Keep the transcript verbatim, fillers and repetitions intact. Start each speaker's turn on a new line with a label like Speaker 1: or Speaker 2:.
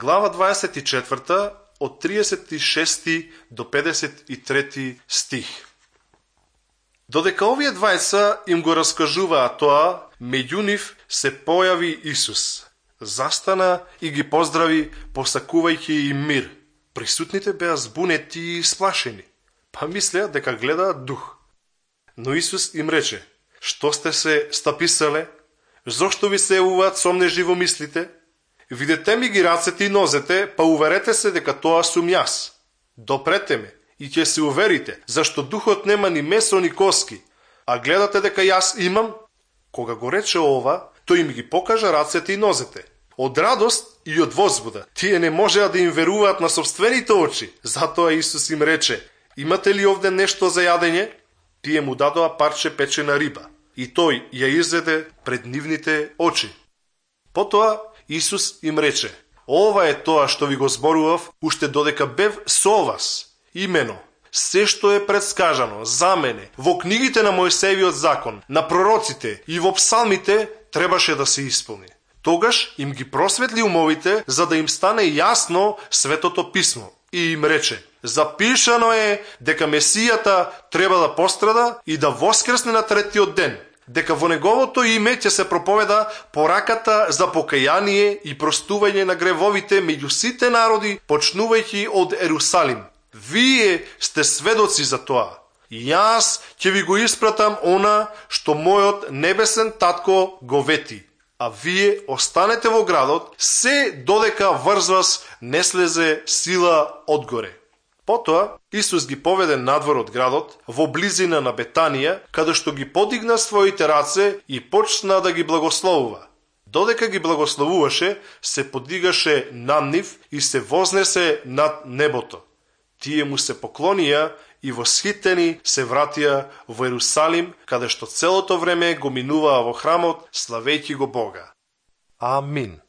Speaker 1: глава дваесет и четврта, од тридесет и шести до педесет и трети стих. Додека овие двајца им го раскажуваа тоа, меѓу нив се појави Исус. Застана и ги поздрави, посакувајќи им мир. Присутните беа збунети и исплашени, па мислеа дека гледаат дух. Но Исус им рече: што сте се стаписеле? Зошто ви се јавуваат сомнежи во мислите? Видете ми ги рацете и нозете, па уверете се дека тоа сум јас. Допрете ме и ќе се уверите, зашто духот нема ни месо ни коски, а гледате дека јас имам? Кога го рече ова, тој им ги покажа рацете и нозете. Од радост и од возбуда, тие не можеа да им веруваат на собствените очи. Затоа Исус им рече: имате ли овде нешто за јадење? Тие му дадоа парче печена риба и тој ја изеде пред нивните очи. Потоа Исус им рече: ова е тоа што ви го зборував уште додека бев со вас. Имено, се што е предскажано за мене во книгите на Мојсеевиот закон, на пророците и во псалмите требаше да се исполни. Тогаш им ги просветли умовите за да им стане јасно Светото писмо и им рече: запишано е дека Месијата треба да пострада и да воскресне на третиот ден, дека во неговото име ќе се проповеда пораката за покаяние и простување на гревовите меѓу сите народи, почнувајќи од Ерусалим. Вие сте сведоци за тоа. Јас ќе ви го испратам она што мојот небесен татко го вети, а вие останете во градот се додека врз вас не слезе сила одгоре. Потоа Исус ги поведе надвор од градот, во близина на Бетанија, каде што ги подигна своите раце и почна да ги благословува. Додека ги благословуваше, се подигаше над нив и се вознесе над небото. Тие му се поклонија и восхитени се вратија во Ерусалим, каде што целото време го минуваа во храмот, славејќи го Бога. Амин.